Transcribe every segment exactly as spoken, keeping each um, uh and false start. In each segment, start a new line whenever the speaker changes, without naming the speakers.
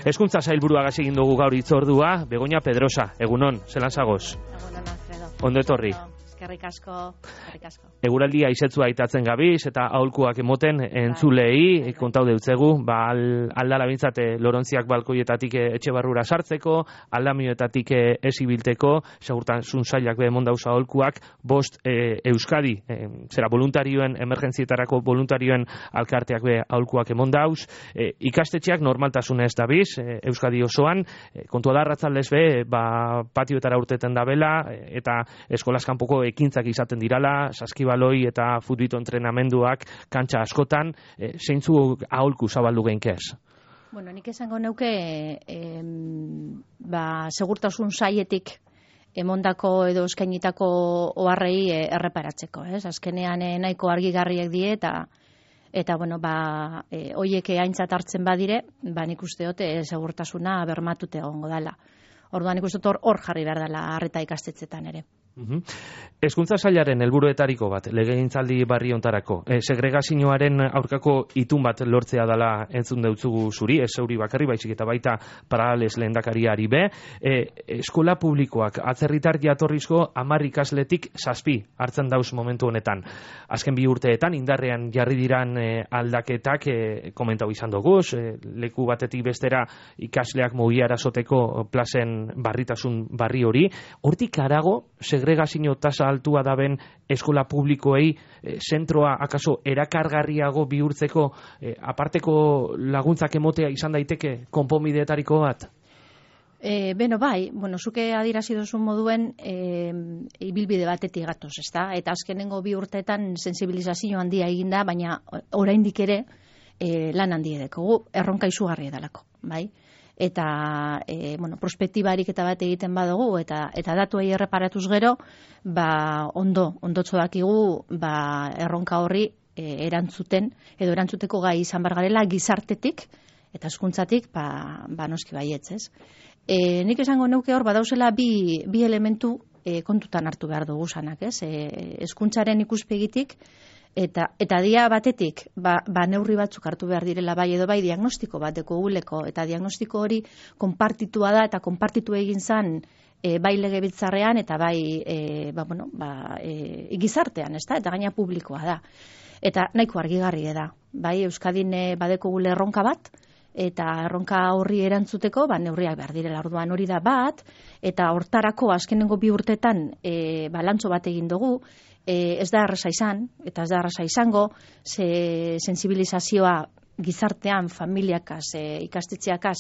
Hezkuntza sailburuagaz egin dugu gaur hitzordua, Begoña Pedrosa, egunon, zelan zagoz?
Egunon, Alfredo.
Ondo etorri.
Eskerrik asko, eskerrik asko.
Eguraldia izetzua aitatzen gabiz eta aholkuak emoten entzulei kontau deutzegu, ba aldala bintzat Lorontziak balkoietatik etxe barrura sartzeko, aldamioetatik ez ibilteko, segurtasun sailak be emon dauz aholkuak, bost e, Euskadi, e, zera voluntarioen, emergentzietarako voluntarioen alkarteak be aholkuak emon dauz, e, ikastetxeak normaltasunez dabiz, e, Euskadi osoan, e, kontua da arratzaldez be, ba, patioetara urteten dabela, e, eta eskolaz kanpoko ekintzak izaten dirala, saskibaloi eta futbito entrenamenduak kantxa askotan, e, zeintzuk aholku zabaldu geinkez?
Bueno, nik esango neuke eh, ba, segurtasun saietik emondako edo eskainitako oharrei eh, erreparatzeko, ez? Azkenean eh, nahiko argigarriak die eta eta bueno, ba eh, hoiek aintzat hartzen badire, ba nik uste dut eh, segurtasuna bermatute egongo dela. Orduan nik uste dut hor jarri behar dela arreta ikastetxetan ere.
Hezkuntza sailaren helburuetariko bat legegintzaldi barri hontarako, e, segregazioaren aurkako itun bat lortzea dela entzun deutzugu zuri, ez zeuri bakarri baizik eta baita Parales lehendakariari be, e, eskola publikoak atzerritar jatorrizko hamar ikasletik zazpi hartzen dauz momentu honetan. Azken bi urteetan indarrean jarri diran e, aldaketak e, komentau izan doguz, e, leku batetik bestera ikasleak mugiara soteko plazen barritasun barri hori, hortik harago segregazio tasa altua daben eskola publikoei e, zentroa akaso erakargarriago bihurtzeko e, aparteko laguntzak emotea izan daiteke konponbideetariko bat?
E, beno bai, bueno, zuke adierazi duzun moduen e, ibilbide batetik gatoz, ezta? Eta azkenengo bi urteetan sensibilizazio handia eginda, baina oraindik ere e, lan handi edekogu, erronka izugarria dalako, bai? Eta e, bueno, prospektibarik eta bat egiten badugu eta eta datuei erreparatuz gero, ba ondo ondotxo dakigu ba erronka horri e, erantzuten edo erantzuteko gai izan bar garela gizartetik eta hezkuntzatik ba, ba noski baietz, ez? E, nik esango neuke hor badauzela bi, bi elementu e, kontutan hartu behar dugu sanak, ez? E, hezkuntzaren ikuspegitik Eta, eta dia batetik, ba, ba neurri batzuk hartu behar direla bai edo bai diagnostiko bat dekoguleko, eta diagnostiko hori konpartitua da, eta konpartitu egin zan e, bai legebiltzarrean, eta bai e, ba, bueno, ba, e, gizartean, ez da? Eta gaina publikoa da. Eta nahiko argigarri da, bai Euskadin e, badekogule erronka bat, eta erronka horri erantzuteko, ba, neurriak behar direla orduan hori da bat, eta hortarako azkenengo bi urtetan e, balantzo bat egin dugu, E, ez da erraza izan, eta ez da erraza izango, ze sensibilizazioa gizartean, familiakaz, e, ikastetxeakaz,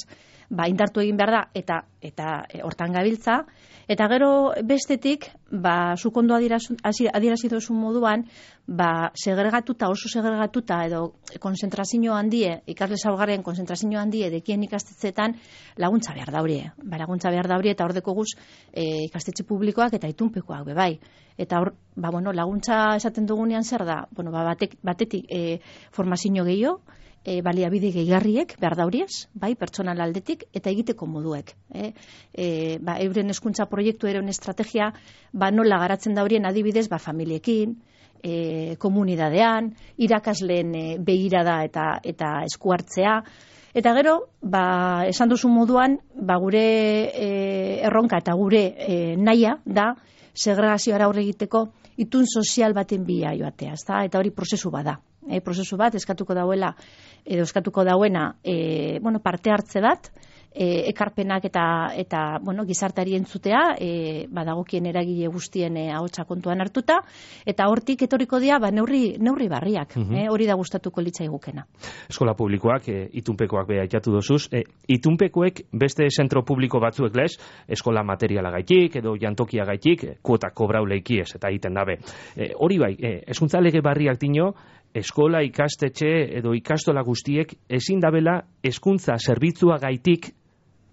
ba, indartu egin behar da, eta eta e, hortan gabiltza, eta gero bestetik, ba, zukondo adierazi duzun moduan, ba, segregatuta, oso segregatuta, edo konzentrazio handie, ikasle zaurgarren konzentrazio handie, dekien ikastetxeetan, laguntza behar daurie, ba, laguntza behar daurie, eta hor dekoguz e, ikastetxe publikoak eta itunpekoak bebai. Eta hor, ba, bueno, laguntza esaten dugunean zer da, bueno, ba, batek, batetik e, formazio gehiago, e, baliabide gehigarriek behar dauriez, bai, pertsonal aldetik, eta egiteko moduek. E, e, ba, euren hezkuntza proiektu euren estrategia, ba, nola garatzen daurien adibidez, ba, familiekin, e, komunidadean, irakasleen e, begirada eta, eta eskuartzea, eta gero, ba, esan duzu moduan, ba, gure e, erronka eta gure e, nahia da, segregazioara aurre egiteko itun sozial baten bila joatea, ezta? Eta hori prozesu bada. E, prozesu bat eskatuko dauela edo eskatuko dauena e, bueno, parte hartze bat, e, ekarpenak eta eta bueno, gizarteari entzutea, e, badagokien eragile guztien e, ahotsa kontuan hartuta, eta hortik etorriko dira ba neurri neurri barriak, mm-hmm. e, hori da gustatuko litzaigukena.
Eskola publikoak e, itunpekoak be aitatu dozuz, e, itunpekoek beste zentro publiko batzuek lez, eskola materialagaitik edo jantokiagaitik kuota kobrau leikiez eta egiten dabe. E, hori bai, e, hezkuntza lege barriak dino, eskola ikastetxe edo ikastola guztiek ezin dabela hezkuntza zerbitzua gaitik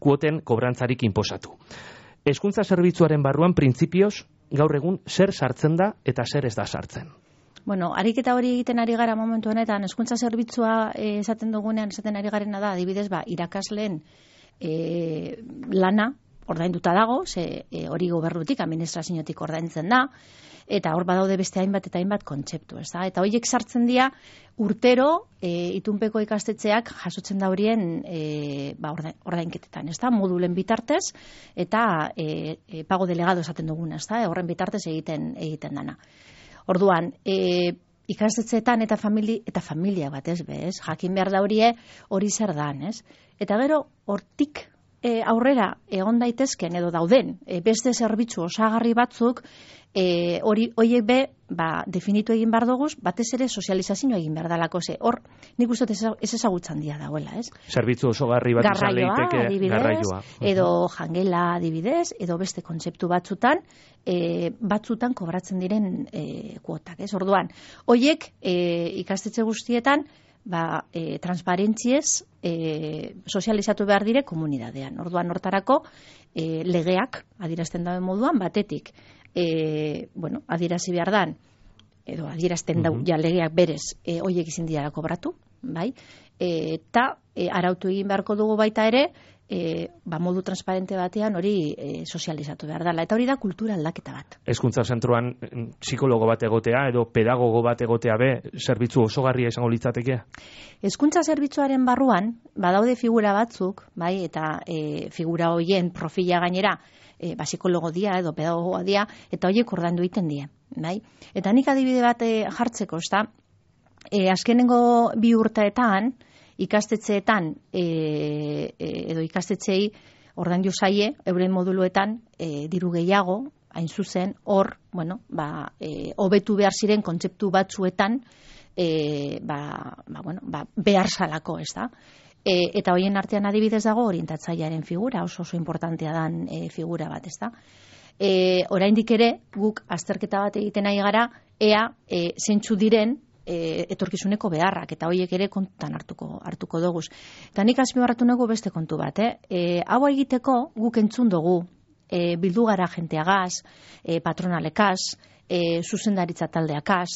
kuoten kobrantzarik inposatu. Hezkuntza zerbitzuaren barruan printzipioz gaur egun zer sartzen da eta zer ez da sartzen.
Bueno, ariketa hori egiten ari gara momentu honetan, hezkuntza zerbitzua e, esaten dugunean esaten ari garena da, adibidez, ba, irakasleen e, lana ordainduta dago, ze e, hori gobernutik, administraziotik ordaintzen da, eta hor badaude beste hainbat eta hainbat kontzeptu, ez da? Eta horiek sartzen dira urtero e, itunpeko ikastetxeak jasotzen da horien e, ba, ordainketetan, ez da? Modulen bitartez eta e, e, pago delegado esaten duguna, ez da? Horren bitartez egiten egiten dana. Orduan, e, ikastetxeetan eta famili, eta familia bat, ez be, ez? Jakin behar da horie hori zer dan, ez? Eta gero, hortik e, aurrera egon daitezken edo dauden e, beste zerbitzu osagarri batzuk e, hori horiek be ba, definitu egin behar doguz, batez ere sozializazio egin behar dalako ze. Hor, nik uste ez ezagutzen dia dagoela, ez?
Zerbitzu osagarri bat izan leiteke garraioa.
Edo jangela adibidez, edo beste kontzeptu batzutan, e, batzutan kobratzen diren e, kuotak, ez? Orduan, horiek e, ikastetxe guztietan ba, e, transparentziez e, sozializatu behar dire komunidadean. Orduan, hortarako e, legeak adierazten dauen moduan, batetik, e, bueno, adierazi behar dan, edo adierazten dau, ja legeak berez, e, hoiek izin dira kobratu, bai? E, eta e, arautu egin beharko dugu baita ere, E, ba, modu transparente batean hori e, sozializatu behar dela. Eta hori da kultura aldaketa bat.
Hezkuntza zentroan psikologo bat egotea edo pedagogo bat egotea be, zerbitzu osogarria izango litzateke?
Hezkuntza zerbitzuaren barruan, badaude figura batzuk, bai, eta e, figura hoien profila gainera, e, ba, psikologo dia edo pedagogoa dia, eta horiek ordaindu egiten die, bai? Eta nik adibide bat e, jartzeko, ezta? E, azkenengo bi urteetan, ikastetxeetan e, e, edo ikastetxeei ordaindu zaie euren moduluetan e, diru gehiago, hain zuzen, hor, bueno, ba, e, hobetu behar ziren kontzeptu batzuetan e, ba, ba, bueno, ba, behar salako, ez da? E, eta hoien artean adibidez dago orientatzailearen figura, oso oso importantea dan e, figura bat, ez da? E, oraindik ere, guk azterketa bat egiten nahi gara, ea e, zeintzu diren E, etorkizuneko beharrak, eta horiek ere kontutan hartuko hartuko doguz. Eta nik azpimarratu nago beste kontu bat, eh? E, hau egiteko guk entzun dugu e, bildu gara jenteagaz, e, patronalekaz, e, zuzendaritza taldeakaz,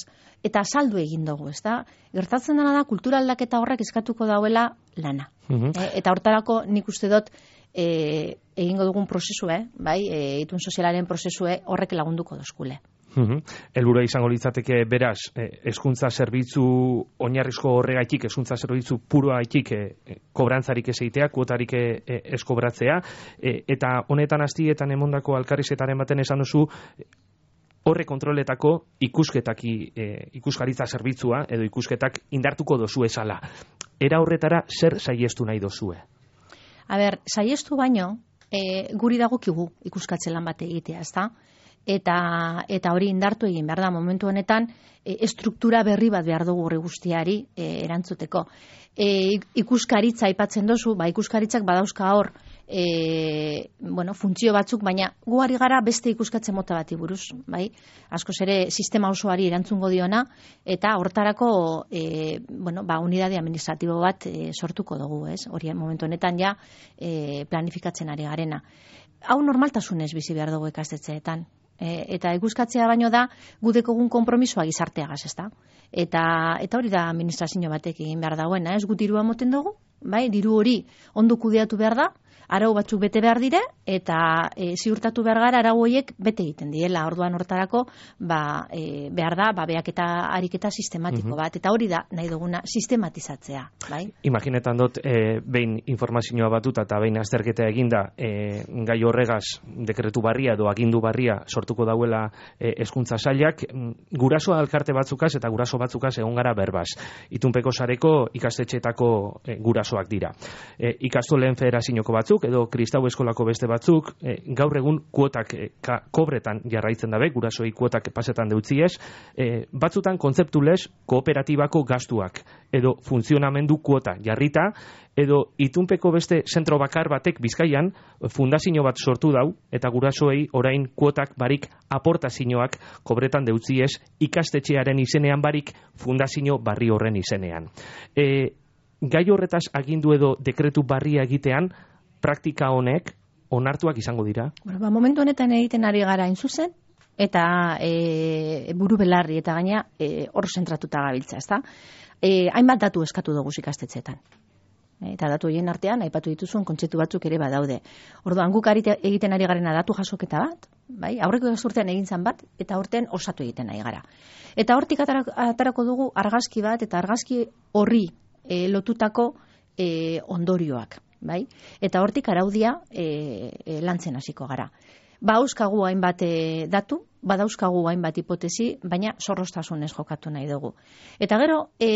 eta saldu egin dugu, ez da? Gertatzen dena da, kultura aldaketa horrek eskatuko dauela lana. Uh-huh. E, eta hortarako nik uste dut e, egingo dugun prozesue, bai, e, itun sozialaren prozesue horrek lagunduko dozkule.
Uhum. Elburua izango litzateke beraz, hezkuntza zerbitzu oinarrizko horregaitik, hezkuntza zerbitzu puroaitik eh, kobrantzarik ez egitea, kuotarik eh, ez kobratzea, eh, eta honetan hastietan emondako alkarrizketaren baten esan duzu, horre kontroletako ikusketaki, eh, ikuskaritza zerbitzua edo ikusketak indartuko dozu esala. Era horretara zer saiestu nahi dozue?
A ber, saiestu baino, eh, guri dagokigu ikuskatze lan bat egitea, ezta? Eta, eta hori indartu egin behar da momentu honetan e, estruktura berri bat behar dugu horri guztiari e, erantzuteko. E, ikuskaritza aipatzen dozu, ba ikuskaritzak badauzka hor e, bueno, funtzio batzuk, baina gu ari gara beste ikuskatze mota bati buruz, bai? Askoz ere sistema osoari erantzungo diona, eta hortarako e, bueno, ba, unidade administratibo bat e, sortuko dugu, ez? Hori momentu honetan ja e, planifikatzen ari garena. Hau normaltasunez bizi behar dugu ikastetxeetan. E, eta ikuskatzea baino da gudekogun konpromisoa gizarteagaz, ezta? Eta eta hori da administrazio batek egin behar dagoena, ez? Gu dirua moten dugu, bai? Diru hori ondo kudeatu behar da, arau batzuk bete behar dire, eta e, ziurtatu behar gara arau horiek bete egiten diela. Orduan hortarako ba, e, behar da, ba, beaketa ariketa sistematiko uh-huh. bat, eta hori da nahi duguna sistematizatzea, bai?
Imaginetan dut, e, behin informazioa batuta eta behin azterketa eginda, e, gai horregaz dekretu barria edo agindu barria sortuko dauela hezkuntza sailak, guraso alkarte batzukaz eta guraso batzukaz egon gara berbaz. Itunpeko sareko ikastetxeetako e, gurasoak dira. E, ikastoleen federazioko batzuk, edo kristau eskolako beste batzuk, e, gaur egun kuotak e, ka, kobretan jarraitzen dabe, gurasoi kuotak pasetan deutziez, e, batzutan kontzeptulez kooperatibako gastuak, edo funtzionamendu kuota jarrita, edo itunpeko beste zentro bakar batek Bizkaian fundazio bat sortu dau, eta gurasoei orain kuotak barik aportazioak kobretan deutziez ikastetxearen izenean barik fundazio barri horren izenean. E, gai horretaz agindu edo dekretu barria egitean, praktika honek onartuak izango dira? Bueno,
ba, momentu honetan egiten ari gara hain zuzen, eta e, buru belarri eta gaina e, hor zentratuta gabiltza, ezta? E, hainbat datu eskatu dugu ikastetxeetan. Eta datu horien artean, aipatu dituzun kontzeptu batzuk ere badaude. Orduan, guk egiten ari garena datu jasoketa bat, bai? Aurreko urtean egin zan bat, eta horten osatu egiten ari gara. Eta hortik atarako dugu argazki bat, eta argazki horri e, lotutako e, ondorioak, bai? Eta hortik araudia e, e, lantzen hasiko gara. Ba, euskagu hainbat e, datu, badauzkagu hainbat hipotesi, baina zorroztasunez jokatu nahi dugu. Eta gero, e,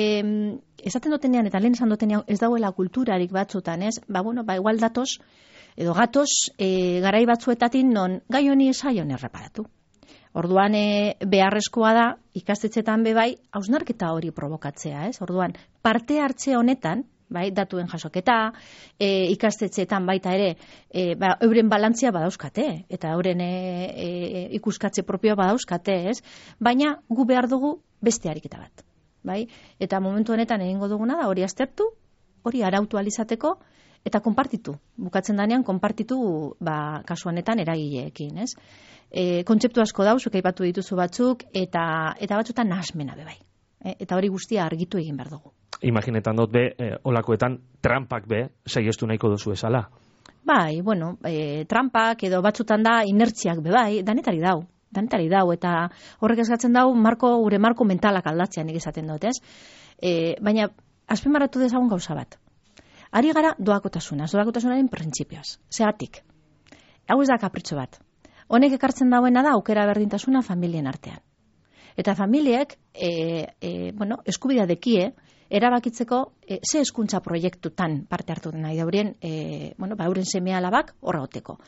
esaten dutenean, eta lehen esan dutenean, ez dauela kulturarik batzutan, ez? Ba, bueno, ba, igual datos, edo gatoz, e, garai batzuetatin non gai honi esaion erreparatu. Orduan, e, beharrezkoa da, ikastetxetan bebai, hausnarketa hori provokatzea, ez? Orduan, parte hartze honetan, bai, datuen jasoketa, e, ikastetxeetan baita ere, e, ba, euren balantzia badauzkate, eta euren e, e, ikuskatze propioa badauzkate, ez? Baina gu behar dugu beste ariketa bat, bai? Eta momentu honetan egingo duguna da, hori aztertu, hori arautu alizateko, eta konpartitu. Bukatzen danean, konpartitu, ba, kasu honetan eragileekin, ez? E, kontzeptu asko dauzuk, aipatu dituzu batzuk, eta, eta batzutan nahasmena bebai. E, eta hori guztia argitu egin behar dugu.
Imaginetan dut be, eh, olakoetan, trampak be, saiestu nahiko duzu esala.
Bai, bueno, e, trampak edo batzutan da inertziak be bai, danetari dau, danetari dau, eta horrek eskatzen dau, marko, gure marko mentalak aldatzean nik esaten dut, ez? E, baina, azpimarratu dezagun gauza bat. Ari gara doakotasunaz, doakotasunaren printzipioaz. Zeratik, hau ez da kapritxo bat. Honek ekartzen dauena da aukera berdintasuna familien artean. Eta familiek, e, e, bueno, eskubidea dekie, erabakitzeko e, ze hezkuntza proiektutan parte hartu nahi daurien, e, bueno, ba, euren seme alabak horra goteko.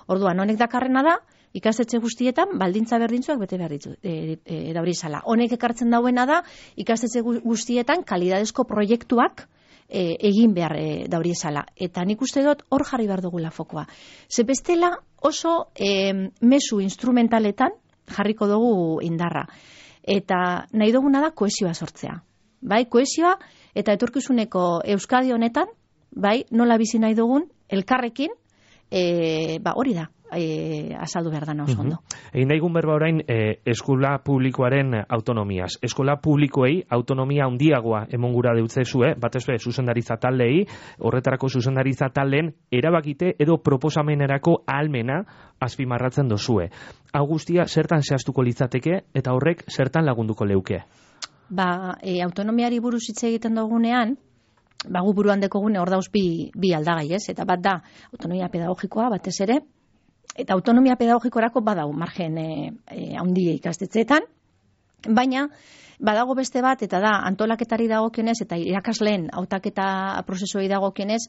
Orduan, honek dakarrena da, ikastetxe guztietan, baldintza berdintzuak bete behar ditu, e, e, dauri zala. Honek ekartzen dauena da, ikastetxe guztietan, kalidadezko proiektuak e, egin behar e, dauri zala. Eta nik uste dut, hor jarri behar dugula fokoa. Ze bestela oso e, mezu instrumentaletan jarriko dugu indarra. Eta nahi duguna da kohesioa sortzea. Bai, kohesioa eta etorkizuneko Euskadi honetan, bai, nola bizi nahi dugun, elkarrekin, e, ba, hori da, e, azaldu behar dana oso ondo.
Egin daigun berba orain, e, eskola publikoaren autonomiaz. Eskola publikoei autonomia handiagoa emongura deutzezue, batez be, zuzendaritza taldei, horretarako zuzendaritza taldeen erabakite edo proposamenerako ahalmena azpimarratzen dozue. Hau guztia zertan zehaztuko litzateke eta horrek zertan lagunduko leuke?
Ba, e, autonomiari buruz hitz egiten dugunean, ba, gu buruan dekogune hor dauz bi, bi aldagai, ez? Eta bat da, autonomia pedagogikoa batez ere, eta autonomia pedagogikorako badau margen e, e, handia ikastetxeetan, baina badago beste bat, eta da antolaketari dagokionez eta irakasleen hautaketa prozesuei dagokionez,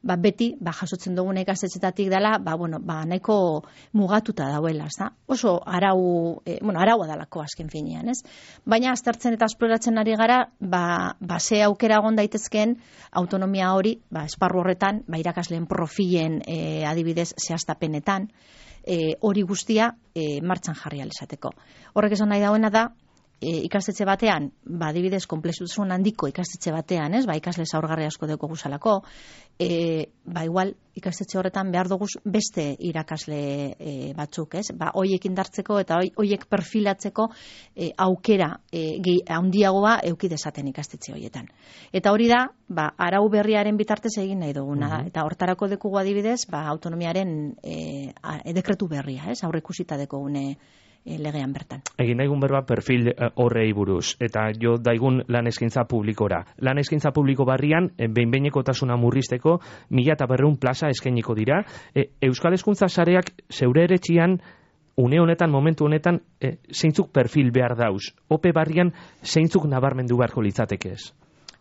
ba, beti ba, jasotzen dugun ikastetxetatik dela, ba, bueno, ba, nahiko mugatuta dauela, ezta? Oso arau, e, bueno, araua dalako azken finean, ez? Baina aztertzen eta esploratzen ari gara, ba, ba ze aukera egon daitezkeen autonomia hori, ba, esparru horretan, ba, irakasleen profilen e, adibidez zehaztapenetan, e, hori guztia e, martxan jarri alizateko. Horrek esan nahi dauena da, E, ikastetxe batean, ba, adibidez, konplexutasun handiko ikastetxe batean, ez, ba, ikasle zaurgarri asko deko guzalako, e, ba, igual, ikastetxe horretan behar dugu beste irakasle e, batzuk, ez, ba, hoiek indartzeko eta hoiek perfilatzeko e, aukera e, handiagoa euki dezaten ikastetxe horietan. Eta hori da, ba, arau berriaren bitartez egin nahi duguna da, eta hortarako dekugu adibidez, ba, autonomiaren e, a, e, dekretu berria, ez, aurreikusita dekogune legean bertan.
Egin daigun berba perfil horrei buruz, eta jo daigun lan eskaintza publikora. Lan eskaintza publiko barrian, behin-behinekotasuna murrizteko, mila eta berreun plaza eskainiko dira. E, Euskal Hezkuntza Sareak zeure eretxian, une honetan, momentu honetan, e, zeintzuk perfil behar dauz? Ope barrian, zeintzuk nabarmendu beharko litzateke ez?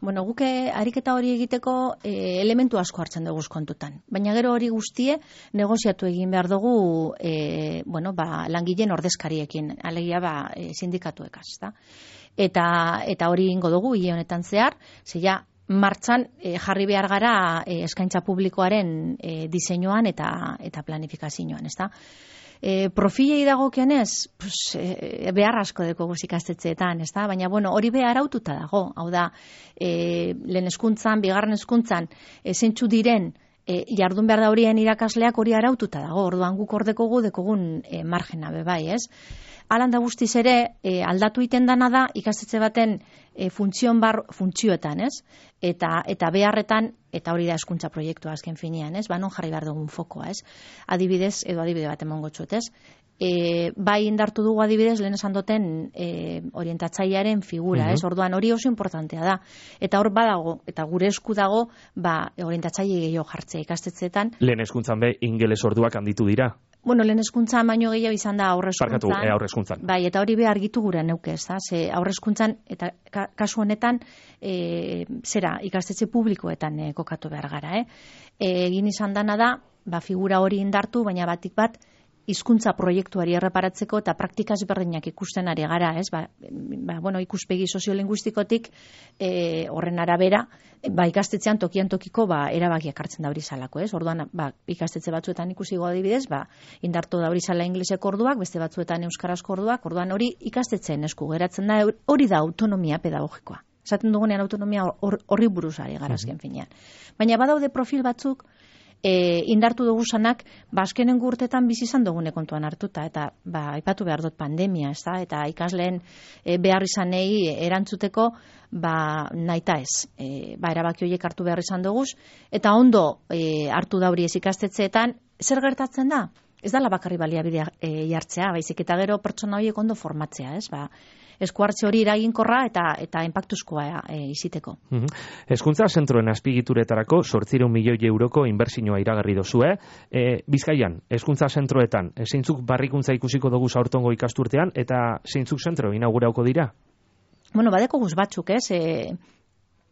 Bueno, guke ariketa hori egiteko e, elementu asko hartzen dugu kontutan. Baina gero hori guztie negoziatu egin behar dugu e, bueno, ba, langileen ordezkariekin, alegia ba, e, sindikatuekaz. Da? Eta, eta hori ingo dugu, hile honetan zehar, zeia martxan e, jarri behar gara e, eskaintza publikoaren e, diseinuan eta, eta planifikazioan, ez da? E, profilei dagokionez, pues, e, behar asko deko guz ikastetxeetan, ez da? Baina, bueno, hori behar aututa dago. Hau da, e, lehen hezkuntzan, bigarren hezkuntzan, e, zeintzu diren, e, jardun behar da horien irakasleak hori araututa dago. Orduan guk ordekogu dekogun e, margena bebai, ez? Alanda guztiz ere, e, aldatu iten dana da, ikastetxe baten e, funtzion bar, funtzioetan, ez? Eta, eta beharretan eta hori da hezkuntza proiektua azken finean, ez? Ba, non jarri behar dugun fokoa, ez? Adibidez, edo adibide bat emango txut, ez? E, bai indartu dugu adibidez, lehen esan duten e, orientatzailearen figura,
Uh-huh.
ez? Orduan hori oso importantea da. Eta hor badago, eta gure esku dago, ba, orientatzaile gehiago jartzea ikastetxeetan.
Lehen hezkuntzan be, ingeles orduak handitu dira.
Bueno, lehen hezkuntzan baino gehiago izan da aurrezkuntzan.
Barkatu, e, aurrezkuntzan.
Bai, eta hori be argitu gure neuke, ez da? Ze aurrezkuntzan, eta ka, kasu honetan, e, zera, ikastetxe publikoetan e, kokatu behar gara, eh? E, egin izan dana da, ba, figura hori indartu, baina batik bat, hizkuntza proiektuari erreparatzeko eta praktika ezberdinak ikusten ari gara, ez? Ba, ba, bueno, ikuspegi soziolinguistikotik e, horren arabera, ba, ikastetxean tokian tokiko ba, erabakiak hartzen da hori zalako, ez? Orduan, ba, ikastetxe batzuetan ikusigo adibidez, ba, indartu da hori zala ingleseko orduak, beste batzuetan euskarazko orduak, orduan hori ikastetxeen esku geratzen da, hori da autonomia pedagogikoa. Esaten dugunean autonomia horri buruz ari gara azken finean. Baina badaude profil batzuk, E, indartu dugu zanak, ba, azkenengo urtetan bizi izan dugune kontuan hartuta, eta ba, aipatu behar dut pandemia, ez da? Eta ikasleen e, behar izanei erantzuteko, ba, naita ez, e, ba, erabaki horiek hartu behar izan dugu, eta ondo e, hartu da hori ez ikastetxeetan, zer gertatzen da? Ez da bakarri baliabidea e, jartzea, baizik eta gero pertsona horiek ondo formatzea, ez? Ba, esku hartze hori eraginkorra eta eta enpaktuzkoa e, iziteko.
Uh-huh. Hezkuntza zentroen azpigituretarako zortziehun milioi euroko inbertsioa iragarri dozue. E, Bizkaian, hezkuntza zentroetan, e, zeintzuk barrikuntza ikusiko dugu aurtengo ikasturtean, eta zeintzuk zentro inaugurauko dira?
Bueno, badeko guz batzuk, ez? E,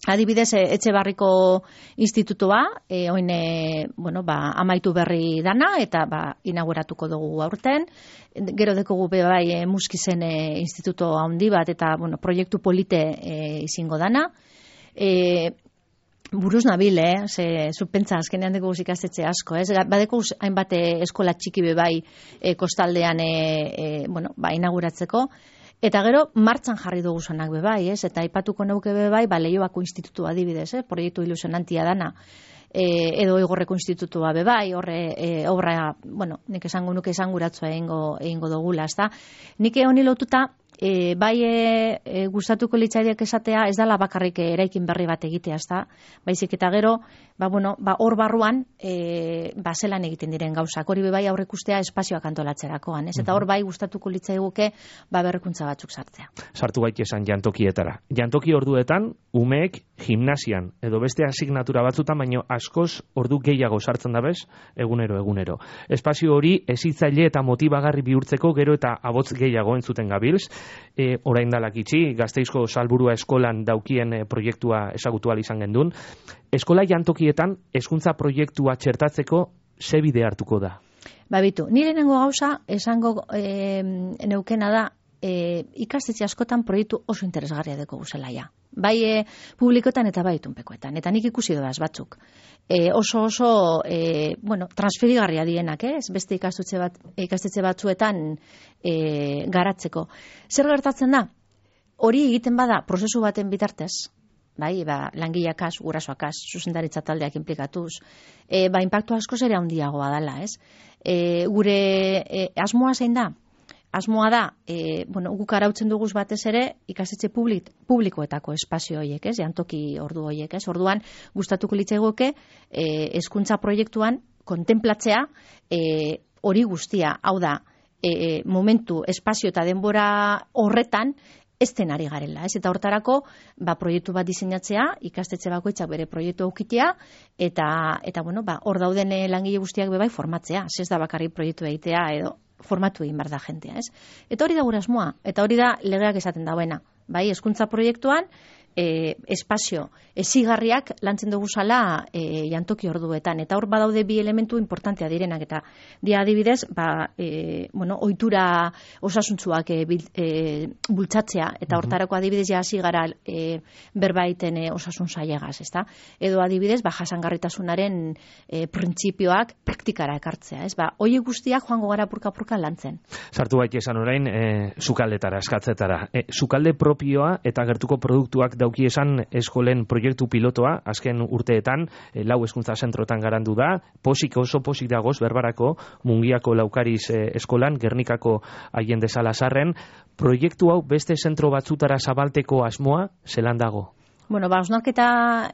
adibidez, e, Etxebarriko institutua, e, oin, e, bueno, ba, amaitu berri dana, eta ba, inauguratuko dugu aurten. Gero dekogu be bai e, Muskizen e, instituto handi bat, eta bueno, proiektu polite e, izango dana. E, buruz nabil, eh? Ze, zupentza, azkenean dugu ikastetxe asko, ez? Badeko hainbat eskola txiki be bai e, kostaldean e, e, bueno, ba, inauguratzeko. Eta gero, martxan jarri dugu zonak be bai, ez? Eta aipatuko neuke be bai, ba, Leioako institutu adibidez, eh? Proiektu ilusionantia dana. E, edo Igorreko institutua be bai, horre e, obra, bueno, nik esango nuke esanguratzua egingo, egingo dugula, ezta? Nik honi lotuta, e, bai e, e, gustatuko litzaileak esatea, ez dala bakarrik eraikin berri bat egitea, ezta? Baizik eta gero, ba, bueno, ba, hor barruan, e, ba, zelan egiten diren gauzak, hori be bai aurreikustea espazioak antolatzerakoan, ez? Eta hor bai gustatuko litzaiguke, ba, berrikuntza batzuk sartzea.
Sartu gaitesan jantokietara. Jantoki orduetan, umeek gimnasian, edo beste asignatura batzutan, baino askoz ordu gehiago sartzen da bez, egunero, egunero. Espazio hori hezitzaile eta motibagarri bihurtzeko gero eta abotz gehiago entzuten gabilz. E, orain dalak itxi, Gasteizko Salburua eskolan daukien e, proiektua ezagutu ahal izan gendun. Eskola jantokietan hezkuntza proiektua txertatzeko ze bide hartuko da?
Ba bitu, nire nengo gauza esango e, neukena da e, ikastetxe askotan proiektu oso interesgarria deko guzelaia. Bai e, publikoetan eta bai itunpekoetan. Eta nik ikusi doaz batzuk. E, oso oso e, bueno, transferigarria dienak, eh? Beste ikastetxe, bat, ikastetxe batzuetan e, garatzeko. Zer gertatzen da? Hori egiten bada prozesu baten bitartez, bai, ba, langileakaz, gurasoakaz, zuzendaritza taldeak implikatuz, e, ba, inpaktu askoz ere handiagoa dela, ez? E, gure e, asmoa zein da? Asmoa da, e, bueno, guk arautzen duguz batez ere, ikastetxe publik, publikoetako espazio horiek, ez? Jantoki ordu horiek, ez? Orduan, gustatuko litzaiguke, e, hezkuntza proiektuan, kontemplatzea, e, hori guztia, hau da, e, momentu, espazio eta denbora horretan, ez den ari garela, ez? Eta hortarako, ba, proiektu bat diseinatzea, ikastetxe bakoitzak bere proiektu aukitea, eta, eta bueno, ba, hor dauden langile guztiak bebai formatzea, ez da bakarrik proiektu egitea, edo formatu egin behar da jentea, ez? Eta hori da gure asmoa, eta hori da legeak esaten dauena, bai, hezkuntza proiektuan, e, espazio, ezigarriak lantzen dugu zala e, jantoki orduetan, eta hor badaude bi elementu importantea direnak, eta dia adibidez, ba, e, bueno, ohitura osasuntzuak e, bil, e, bultzatzea, eta hortarako adibidez ja hasi gara e, berbaiten e, osasun sailegaz, ezta? Edo adibidez, ba, jasangarritasunaren e, printzipioak praktikara ekartzea, ez? Ba, horiek guztiak joango gara purka-purka lantzen.
Sartu baita esan orain, e, sukaldetara, eskatzetara. E, sukalde propioa eta gertuko produktuak dauki esan eskolen proiektu pilotoa, azken urteetan, e, lau hezkuntza zentrotan garandu da, posik oso posik dagoz berbarako, Mungiako Laukariz e, eskolan, Gernikako Allende Salazarren, proiektu hau beste zentro batzutara zabalteko asmoa, zelan dago?
Bueno, ba, hausnarketa,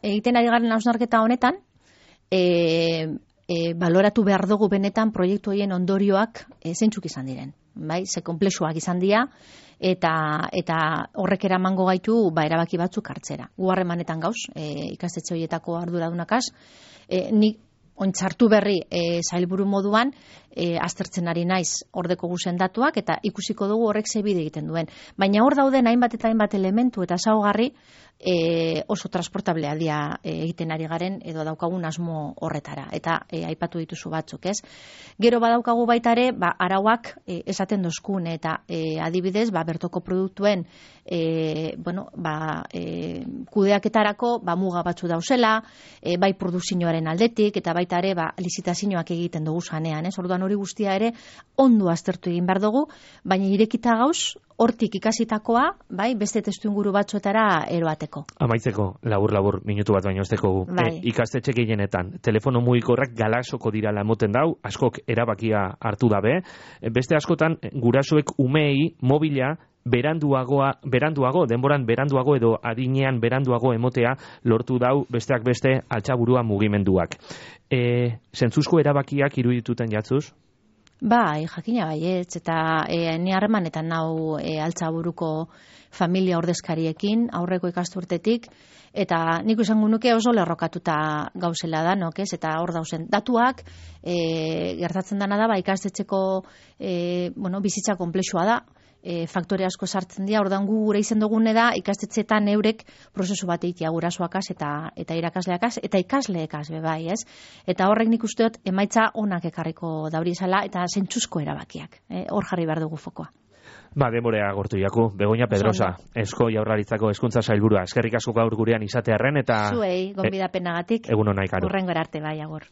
egiten ari garen hausnarketa honetan, e, e, baloratu behar dugu benetan proiektu horien ondorioak e, zeintzuk izan diren. Bai, ze konplexuak izan dira, eta eta horrek eramango gaitu ba erabaki batzuk hartzera. Gu harremanetan gauz, e, ikastetxe horietako arduradunakaz, e, ni ontzartu berri e, sailburu moduan e, aztertzen ari naiz ordeko guzen datuak eta ikusiko dugu horrek ze bide egiten duen. Baina hor dauden hainbat eta hainbat elementu eta ezaugarri e, oso transportablea dira e, egiten ari garen edo daukagun asmo horretara. Eta e, aipatu dituzu batzuk, ez? Gero badaukagu baita ere, ba, arauak e, esaten dozkun eta e, adibidez, ba, bertoko produktuen e, bueno, ba, e, kudeaketarako ba, muga batzu dauzela, e, bai produzioaren aldetik eta baita ere ba, lizitazioak egiten dugu zanean, ez? Orduan hori guztia ere ondo aztertu egin behar dugu, baina irekita gauz, hortik ikasitakoa, bai, beste testuinguru batzuetara eroateko.
Amaitzeko, labur-labur, minutu bat baino esteko gu.
Bai.
E, ikastetxe gehienetan, telefono mugikorrak galasoko dirala emoten dau, askok erabakia hartu dabe, e, beste askotan, gurasoek umei mobila beranduagoa, beranduago, denboran beranduago edo adinean beranduago emotea lortu dau besteak beste altxaburua mugimenduak. E, zentzuzko erabakiak irudituten jatzuz?
Bai, jakina baietz, eta e, ni harremanetan nau e, altzaburuko familia ordezkariekin, aurreko ikasturtetik, eta nik izango nuke oso lerrokatuta gauzela danok, ez? Eta hor dauzen datuak, e, gertatzen dana da, ba, ikastetxeko e, bueno, bizitza konplexua da, e, faktore asko sartzen dira, ordan gu gure izen dugune da, ikastetxetan eurek prozesu bat egitea gurasoakaz eta, eta irakasleakaz, eta ikasleekaz be bai, ez? Eta horrek nik uste dut emaitza onak ekarriko dauri esala, eta zentzuzko erabakiak, e, hor jarri behar dugu fokoa.
Ba, denborea agortu jaku, Begoña Pedrosa, Esko Jaurlaritzako Hezkuntza Sailburua, eskerrik asko gaur gurean izatearren, eta...
Zuei, gonbidapenagatik,
egun hona ikaru.
hurrengora arte bai, agor.